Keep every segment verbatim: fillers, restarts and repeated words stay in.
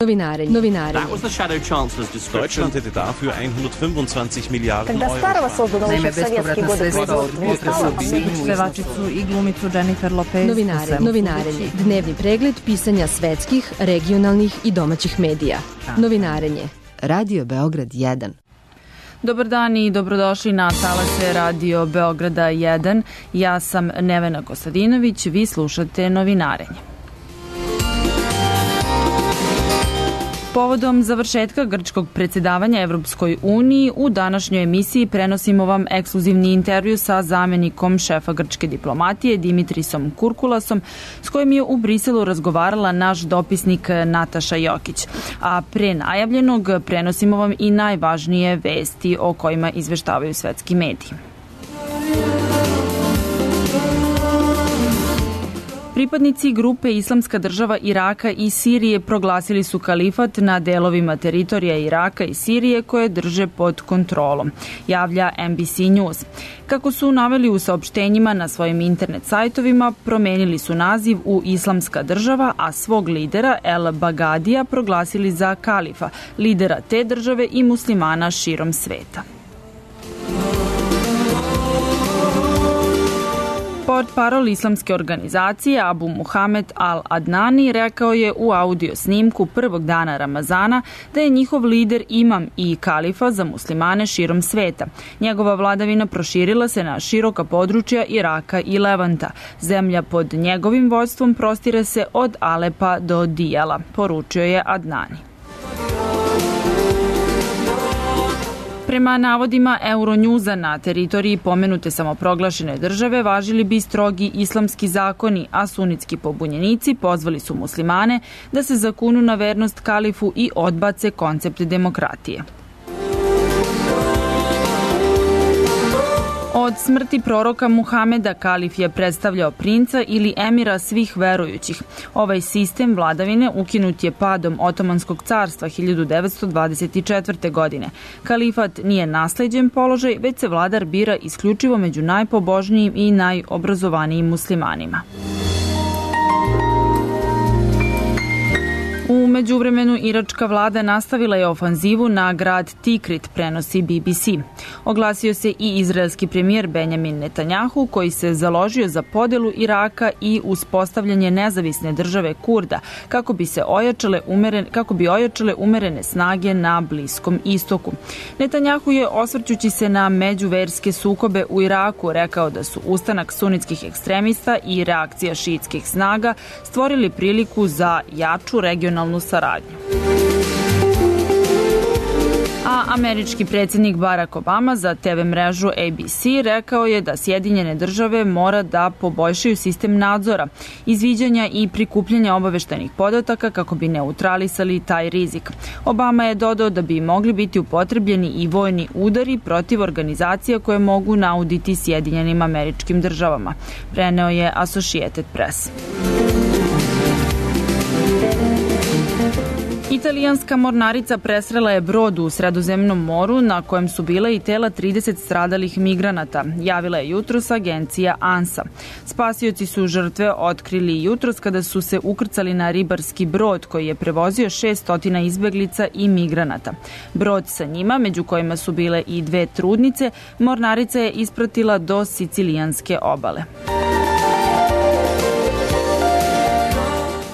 Novinarenje. Novinarenje. Deutschland hätte dafür hundertfünfundzwanzig Milliarden Когда старого созданного еще в советские годы производства Pevačicu i glumicu Jennifer Lopez. Novinarenje. Novinarenje. Dnevni pregled pisanja svetskih, regionalnih i domaćih medija. Novinarenje. Radio Beograd jedan. Dobar dan i dobrodošli na talase Radio Beograda jedan. Ja sam Nevena Kostadinović, vi slušate Novinarenje. Povodom završetka grčkog predsjedavanja Evropskoj uniji, u današnjoj emisiji prenosimo vam ekskluzivni intervju sa zamenikom šefa grčke diplomatije Dimitrisom Kurkulasom, s kojim je u Briselu razgovarala naš dopisnik Nataša Jokić. A pre najavljenog prenosimo vam i najvažnije vesti o kojima izveštavaju svetski mediji. Pripadnici grupe Islamska država Iraka i Sirije proglasili su kalifat na delovima teritorija Iraka i Sirije koje drže pod kontrolom, javlja N B C News. Kako su naveli u saopštenjima na svojim internet sajtovima, promenili su naziv u Islamska država, a svog lidera El Bagadija proglasili za kalifa, lidera te države i muslimana širom sveta. Portparol islamske organizacije Abu Muhamed al-Adnani rekao je u audio snimku prvog dana Ramazana da je njihov lider imam i kalifa za muslimane širom sveta. Njegova vladavina proširila se na široka područja Iraka i Levanta. Zemlja pod njegovim vođstvom prostire se od Alepa do Dijala, poručio je Adnani. Prema navodima Euronewsa, na teritoriji pomenute samoproglašene države važili bi strogi islamski zakoni, a sunitski pobunjenici pozvali su muslimane da se zakunu na vernost kalifu i odbace koncept demokratije. Od smrti proroka Muhameda kalif je predstavljao princa ili emira svih verujućih. Ovaj sistem vladavine ukinut je padom Otomanskog carstva hiljadu devetsto dvadeset četvrte. godine. Kalifat nije nasleđen položaj, već se vladar bira isključivo među najpobožnijim i najobrazovanijim muslimanima. U međuvremenu iračka vlada nastavila je ofanzivu na grad Tikrit, prenosi B B C. Oglasio se i izraelski premijer Benjamin Netanjahu, koji se založio za podelu Iraka i uspostavljanje nezavisne države Kurda, kako bi se ojačale umeren, kako bi ojačale umerene snage na Bliskom istoku. Netanjahu je, osvrćući se na međuverske sukobe u Iraku, rekao da su ustanak sunitskih ekstremista i reakcija šiitskih snaga stvorili priliku za jaču regionalnu saradnju. A američki predsjednik Barack Obama za T V mrežu A B C rekao je da Sjedinjene države mora da poboljšaju sistem nadzora, izviđanja i prikupljanja obaveštajnih podataka kako bi neutralisali taj rizik. Obama je dodao da bi mogli biti upotrebljeni i vojni udari protiv organizacija koje mogu nauditi Sjedinjenim američkim državama, preneo je Associated Press. Italijanska mornarica presrela je brod u Sredozemnom moru na kojem su bile i tela trideset stradalih migranata, javila je jutros agencija ANSA. Spasioci su žrtve otkrili jutros kada su se ukrcali na ribarski brod koji je prevozio šesnaest izbeglica i migranata. Brod sa njima, među kojima su bile i dve trudnice, mornarica je ispratila do sicilijanske obale.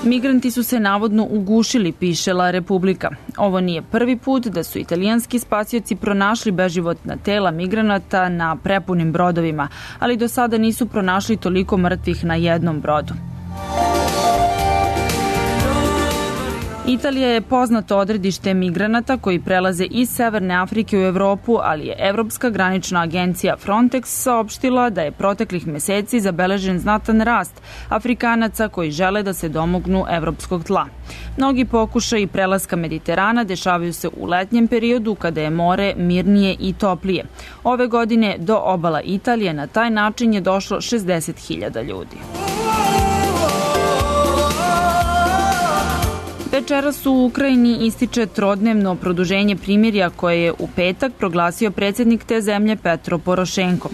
Migranti su se navodno ugušili, piše La Republika. Ovo nije prvi put da su italijanski spasioci pronašli beživotna tela migranata na prepunim brodovima, ali do sada nisu pronašli toliko mrtvih na jednom brodu. Italija je poznato odredište migranata koji prelaze iz Severne Afrike u Evropu, ali je Evropska granična agencija Frontex saopštila da je proteklih meseci zabeležen znatan rast Afrikanaca koji žele da se domognu evropskog tla. Mnogi pokušaji prelaska Mediterana dešavaju se u letnjem periodu kada je more mirnije i toplije. Ove godine do obala Italije na taj način je došlo šezdeset hiljada ljudi. Večeras u Ukrajini ističe trodnevno produženje primirja koje je u petak proglasio predsjednik te zemlje Petro Porošenko.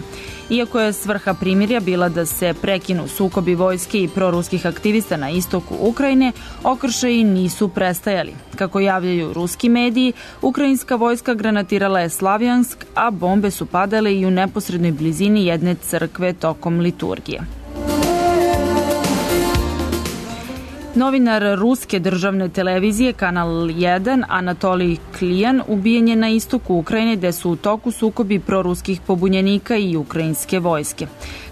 Iako je svrha primirja bila da se prekinu sukobi vojske i proruskih aktivista na istoku Ukrajine, okršaji nisu prestajali. Kako javljaju ruski mediji, ukrajinska vojska granatirala je Slavjansk, a bombe su padale i u neposrednoj blizini jedne crkve tokom liturgije. Novinar ruske državne televizije Kanal jedan Anatolij Klijan ubijen je na istoku Ukrajine gde su u toku sukobi proruskih pobunjenika i ukrajinske vojske.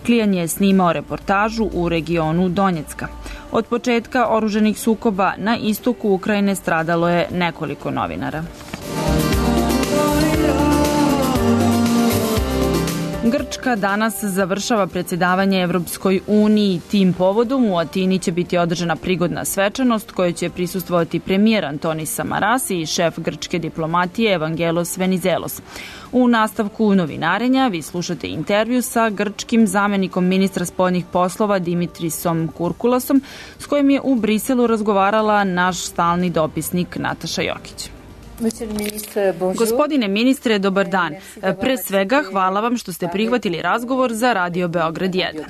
Klijan je snimao reportažu u regionu Donjecka. Od početka oruženih sukoba na istoku Ukrajine stradalo je nekoliko novinara. Grčka danas završava predsjedavanje Evropskoj uniji. Tim povodom u Atini će biti održana prigodna svečanost kojoj će prisustvovati premijer Antonis Samaras i šef grčke diplomatije Evangelos Venizelos. U nastavku novinarenja vi slušate intervju sa grčkim zamenikom ministra spoljnih poslova Dimitrisom Kurkulasom, s kojim je u Briselu razgovarala naš stalni dopisnik Nataša Jokić. Gospodine ministre, dobar dan. Pre svega, hvala vam što ste prihvatili razgovor za Radio Beograd jedan.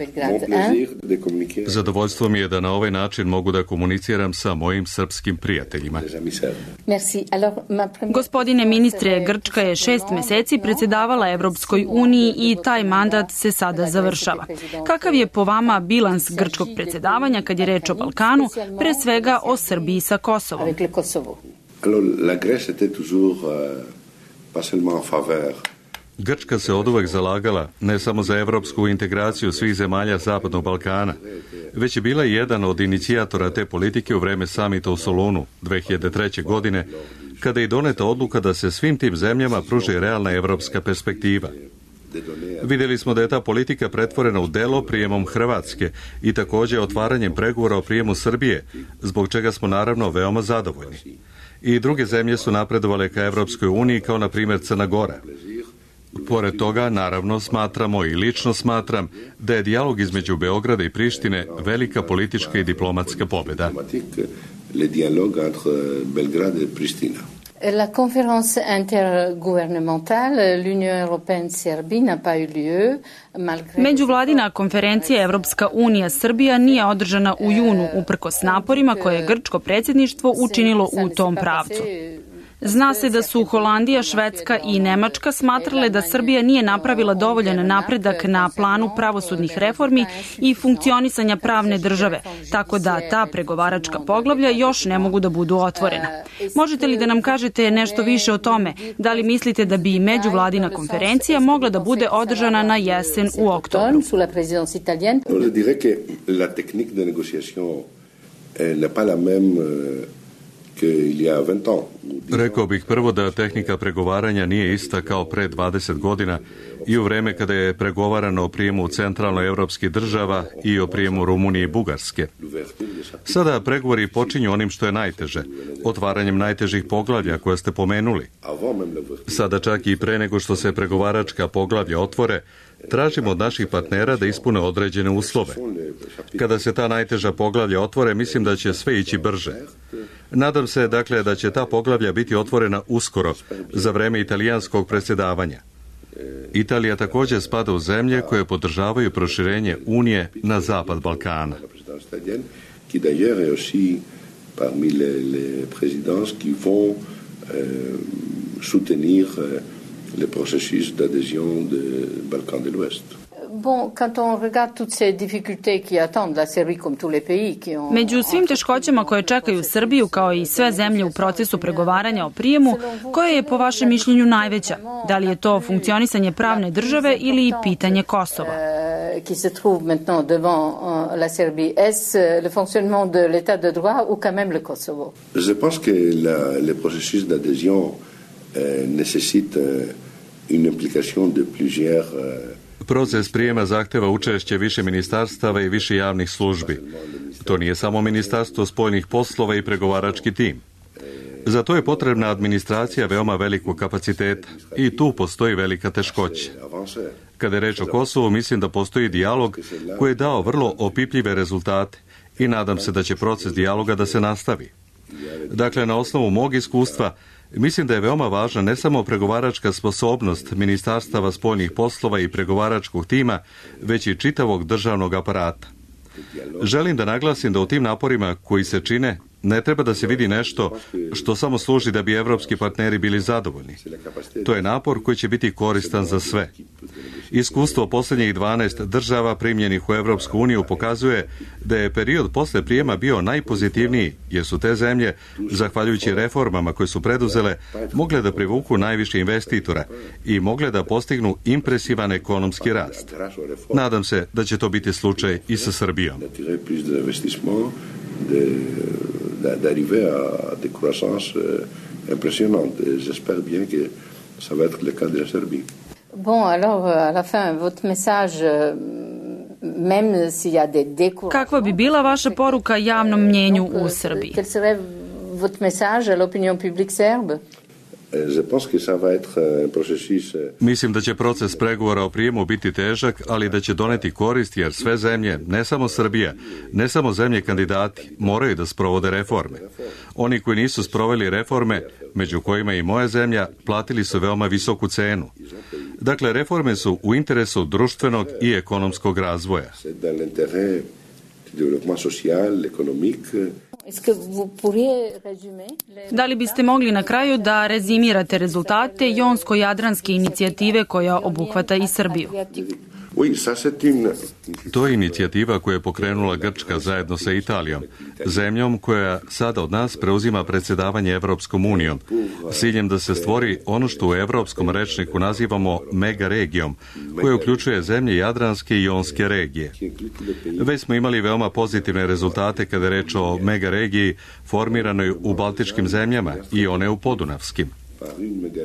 Zadovoljstvo mi je da na ovaj način mogu da komuniciram sa mojim srpskim prijateljima. Gospodine ministre, Grčka je šest meseci predsjedavala Evropskoj uniji i taj mandat se sada završava. Kakav je po vama bilans grčkog predsjedavanja kad je reč o Balkanu, pre svega o Srbiji sa Kosovom? Grčka se oduvek zalagala ne samo za evropsku integraciju svih zemalja Zapadnog Balkana, već je bila jedan od inicijatora te politike u vreme samita u Solunu dve hiljade treće. godine, kada je doneta odluka da se svim tim zemljama pruži realna evropska perspektiva. Vidjeli smo da je ta politika pretvorena u delo prijemom Hrvatske i također otvaranjem pregovora o prijemu Srbije, zbog čega smo naravno veoma zadovoljni. I druge zemlje su napredovale ka Evropskoj uniji, kao na primjer Crna Gora. Pored toga, naravno, smatramo i lično smatram da je dijalog između Beograda i Prištine velika politička i diplomatska pobjeda. La conférence intergouvernementale, l'Union européenne-Serbie n'a pas eu lieu. Međuvladina konferencija Evropska unija Srbija nije održana u junu uprkos naporima koje je grčko predsjedništvo učinilo u tom pravcu. Zna se da su Holandija, Švedska i Nemačka smatrale da Srbija nije napravila dovoljan napredak na planu pravosudnih reformi i funkcionisanja pravne države, tako da ta pregovaračka poglavlja još ne mogu da budu otvorena. Možete li da nam kažete nešto više o tome? Da li mislite da bi međuvladina konferencija mogla da bude održana na jesen u oktobru? Rekao bih prvo da tehnika pregovaranja nije ista kao pre dvadeset godina i u vreme kada je pregovarano o prijemu centralnoevropskih država i o prijemu Rumunije i Bugarske. Sada pregovori počinju onim što je najteže, otvaranjem najtežih poglavlja koje ste pomenuli. Sada čak i pre nego što se pregovaračka poglavlja otvore, tražimo od naših partnera da ispune određene uslove. Kada se ta najteža poglavlja otvore, mislim da će sve ići brže. Nadam se, dakle, da će ta poglavlja biti otvorena uskoro, za vreme italijanskog predsjedavanja. Italija također spada u zemlje koje podržavaju proširenje Unije na zapad Balkana. le processus d'adhésion de Balkans de l'Ouest. Bon, quand on regarde toutes ces difficultés qui attendent la Serbie comme tous les pays qui ont... Među svim teškoćama koje čekaju Srbiju, kao i sve zemlje u procesu pregovaranja o prijemu, koja je po vašem mišljenju najveća? Da li je to funkcionisanje pravne države ili pitanje Kosova? Qui se trouve maintenant devant la Serbie, est-ce le fonctionnement de l'état de droit ou quand même le Kosovo? Je pense que la, le processus d'adhésion euh, nécessite une implication de plusieurs euh, Proces prijema zahteva učešće više ministarstava i više javnih službi. To nije samo ministarstvo spoljnih poslova i pregovarački tim. Za to je potrebna administracija veoma velikog kapaciteta i tu postoji velika teškoća. Kada je reč o Kosovu, mislim da postoji dijalog koji je dao vrlo opipljive rezultate i nadam se da će proces dijaloga da se nastavi. Dakle, na osnovu mog iskustva, mislim da je veoma važna ne samo pregovaračka sposobnost Ministarstava spoljnih poslova i pregovaračkog tima, već i čitavog državnog aparata. Želim da naglasim da u tim naporima koji se čine ne treba da se vidi nešto što samo služi da bi evropski partneri bili zadovoljni. To je napor koji će biti koristan za sve. Iskustvo posljednjih dvanaest država primljenih u Evropsku uniju pokazuje da je period posle prijema bio najpozitivniji, jer su te zemlje, zahvaljujući reformama koje su preduzele, mogle da privuku najviše investitora i mogle da postignu impresivan ekonomski rast. Nadam se da će to biti slučaj i sa Srbijom. d'arriver à des croissances impressionnantes. Et j'espère bien que ça va être le cas de la Serbie. Bon, alors, à la fin, votre message, même s'il y a des découragements... Kakva bi bila vaša poruka javnom mnjenju u Srbiji? Quel serait votre message à l'opinion publique serbe? Mislim da će proces pregovora o prijemu biti težak, ali da će doneti korist jer sve zemlje, ne samo Srbija, ne samo zemlje kandidati, moraju da sprovode reforme. Oni koji nisu sproveli reforme, među kojima i moja zemlja, platili su veoma visoku cenu. Dakle, reforme su u interesu društvenog i ekonomskog razvoja. Da li biste mogli na kraju da rezimirate rezultate Jonsko-Jadranske inicijative koja obuhvata i Srbiju? To je inicijativa koju je pokrenula Grčka zajedno sa Italijom, zemljom koja sada od nas preuzima predsjedavanje Evropskom unijom, s ciljem da se stvori ono što u evropskom rečniku nazivamo megaregijom, koja uključuje zemlje Jadranske i Jonske regije. Već smo imali veoma pozitivne rezultate kada je reč o megaregiji formiranoj u baltičkim zemljama i one u podunavskim.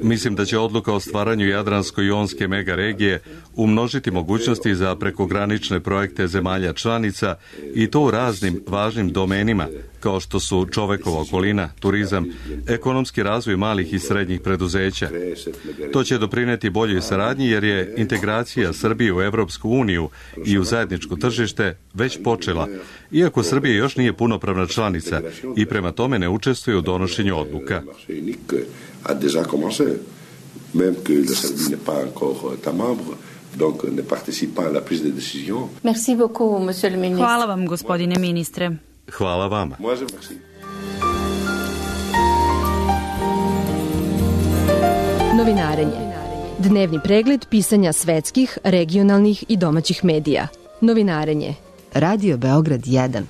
Mislim da će odluka o stvaranju Jadransko-Jonske megaregije umnožiti mogućnosti za prekogranične projekte zemalja članica i to u raznim važnim domenima, kao što su čovekova okolina, turizam, ekonomski razvoj malih i srednjih preduzeća. To će doprineti boljoj saradnji jer je integracija Srbije u Evropsku uniju i u zajedničko tržište već počela, iako Srbija još nije punopravna članica i prema tome ne učestvuje u donošenju odluka. a déjà commencé, même que la Serbie n'est pas encore État membre, donc ne participe pas à la prise de décision. Merci beaucoup, monsieur le ministre. Hvala vam, gospodine ministre. Hvala vama. Moi, je merci. Novinarenje. Dnevni pregled pisanja svetskih, regionalnih i domaćih medija. Novinarenje. Radio Beograd jedan.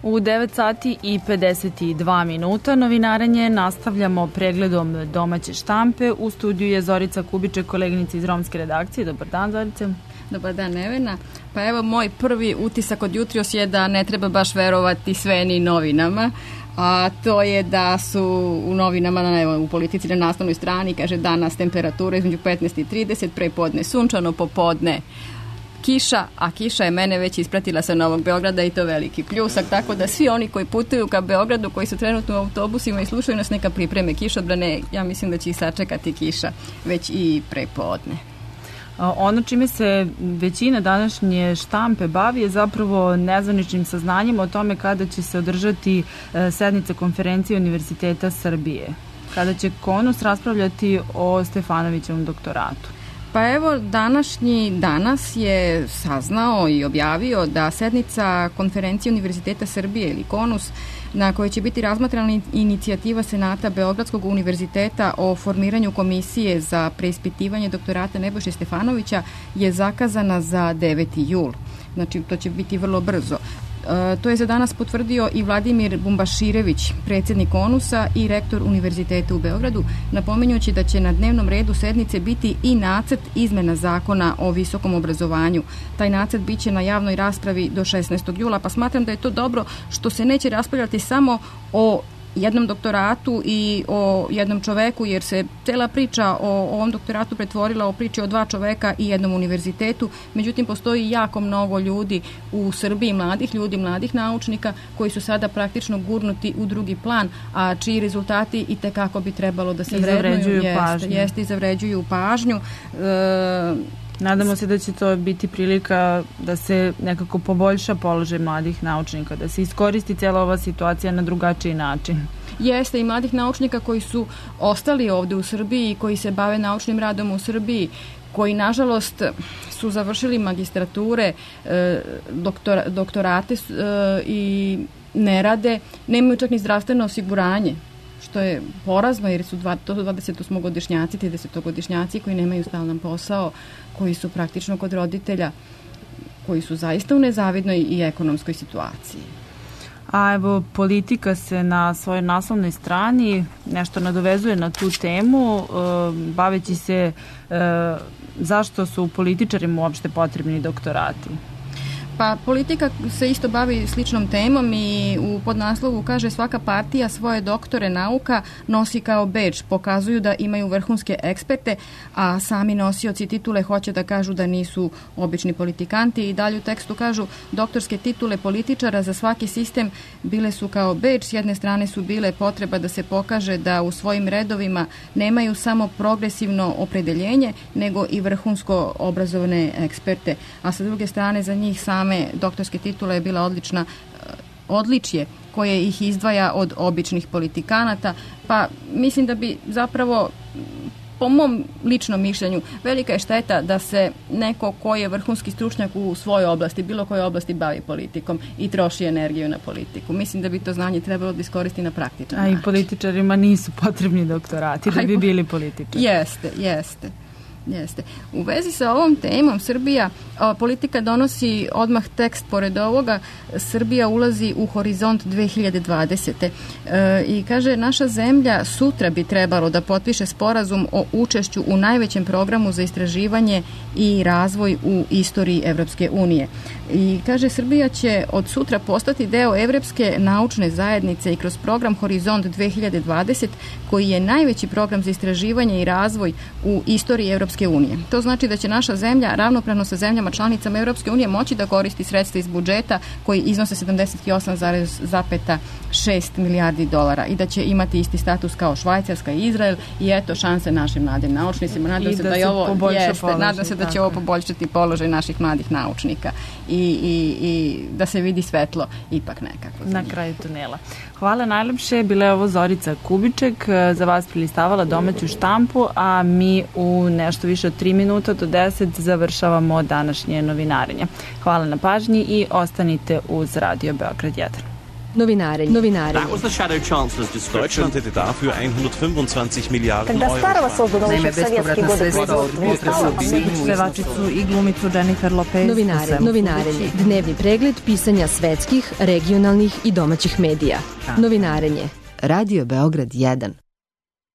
U devet sati i pedeset dva minuta novinarenje nastavljamo pregledom domaće štampe. U studiju je Zorica Kubiček, koleginica iz romske redakcije. Dobar dan, Zorice. Dobar dan, Nevena. Pa evo, moj prvi utisak od jutros je da ne treba baš verovati sve ni novinama, a to je da su u novinama, evo, u Politici na naslovnoj strani, kaže danas temperatura između petnaest i trideset, prepodne sunčano, popodne kiša, a kiša je mene već ispratila sa Novog Beograda i to veliki pljusak, tako da svi oni koji putuju ka Beogradu, koji su trenutno u autobusima i slušaju nas, neka pripreme kišobrane, ja mislim da će i sačekati kiša već i prepodne. Ono čime se većina današnje štampe bavi je zapravo nezvaničnim saznanjem o tome kada će se održati sednica konferencije Univerziteta Srbije, kada će KONUS raspravljati o Stefanovićevom doktoratu. Pa evo, današnji danas je saznao i objavio da sednica konferencije Univerziteta Srbije ili KONUS, na kojoj će biti razmatrana inicijativa Senata Beogradskog univerziteta o formiranju komisije za preispitivanje doktorata Nebojše Stefanovića, je zakazana za deveti jul. Znači, to će biti vrlo brzo. E, to je za danas potvrdio i Vladimir Bumbaširević, predsjednik KONUS-a i rektor Univerziteta u Beogradu, napominjući da će na dnevnom redu sednice biti i nacrt izmena zakona o visokom obrazovanju. Taj nacrt biće na javnoj raspravi do šesnaestog jula, pa smatram da je to dobro što se neće raspravljati samo o jednom doktoratu i o jednom čoveku, jer se cela priča o, o ovom doktoratu pretvorila o priči o dva čoveka i jednom univerzitetu. Međutim, postoji jako mnogo ljudi u Srbiji, mladih ljudi, mladih naučnika, koji su sada praktično gurnuti u drugi plan, a čiji rezultati i tekako bi trebalo da se vrednuju. Jeste, jeste i zavređuju pažnju. E, Nadamo se da će to biti prilika da se nekako poboljša položaj mladih naučnika, da se iskoristi cijela ova situacija na drugačiji način. Jeste, i mladih naučnika koji su ostali ovde u Srbiji i koji se bave naučnim radom u Srbiji, koji nažalost su završili magistrature, doktora, doktorate i ne rade, nemaju čak ni zdravstveno osiguranje, što je porazno jer su dvadesetosmogodišnjaci, tridesetogodišnjaci koji nemaju stalan posao, koji su praktično kod roditelja, koji su zaista u nezavidnoj i ekonomskoj situaciji. A evo, Politika se na svojoj naslovnoj strani nešto nadovezuje na tu temu, baveći se zašto su političarima uopšte potrebni doktorati. Pa Politika se isto bavi sličnom temom i u podnaslovu kaže svaka partija svoje doktore nauka nosi kao bedž, pokazuju da imaju vrhunske eksperte, a sami nosioci titule hoće da kažu da nisu obični politikanti i dalje u tekstu kažu doktorske titule političara za svaki sistem bile su kao bedž, s jedne strane su bile potreba da se pokaže da u svojim redovima nemaju samo progresivno opredeljenje, nego i vrhunsko obrazovane eksperte, a sa druge strane za njih same doktorske titule je bila odlična odličje koje ih izdvaja od običnih politikanata, pa mislim da bi zapravo po mom ličnom mišljenju velika je šteta da se neko ko je vrhunski stručnjak u svojoj oblasti, bilo kojoj oblasti bavi politikom i troši energiju na politiku. Mislim da bi to znanje trebalo da iskoristi na praktičan način. A i političarima nisu potrebni doktorati da bi bili političari. Jeste, jeste. Jeste. U vezi sa ovom temom Srbija, a, Politika donosi odmah tekst pored ovoga, Srbija ulazi u horizont dve hiljade dvadesete. E, i kaže naša zemlja sutra bi trebalo da potpiše sporazum o učešću u najvećem programu za istraživanje i razvoj u istoriji Evropske unije. I kaže Srbija će od sutra postati deo Evropske naučne zajednice i kroz program Horizont dve hiljade dvadesete koji je najveći program za istraživanje i razvoj u istoriji Evropske unije. To znači da će naša zemlja ravnopravno sa zemljama članicama Evropske unije moći da koristi sredstva iz budžeta koji iznose sedamdeset osam zarez šest milijardi dolara i da će imati isti status kao Švajcarska i Izrael i eto šanse našim mladim naučnicima. Nadam se da, je ovo, jeste, nadam se da će ovo poboljšati položaj naših mladih naučnika i, i, i da se vidi svetlo ipak nekako. Na kraju tunela. Hvala najlepše. Bila je ovo Zorica Kubiček, za vas prilistavala domaću štampu, a mi u nešto više od tri minuta do deset završavamo današnje novinarenje. Hvala na pažnji i ostanite uz Radio Beograd jedan. Novinarenje. Novinarenje. That was the Shadow Chancellor's description. Deutschland hätte dafür hundertfünfundzwanzig Milliarden Euro. Naime, bespovratna sredstva od pevačicu i glumicu Jennifer Lopez. Novinarenje. Novinarenje. Dnevni pregled pisanja svetskih, regionalnih i domaćih medija. Novinarenje. Radio Beograd jedan.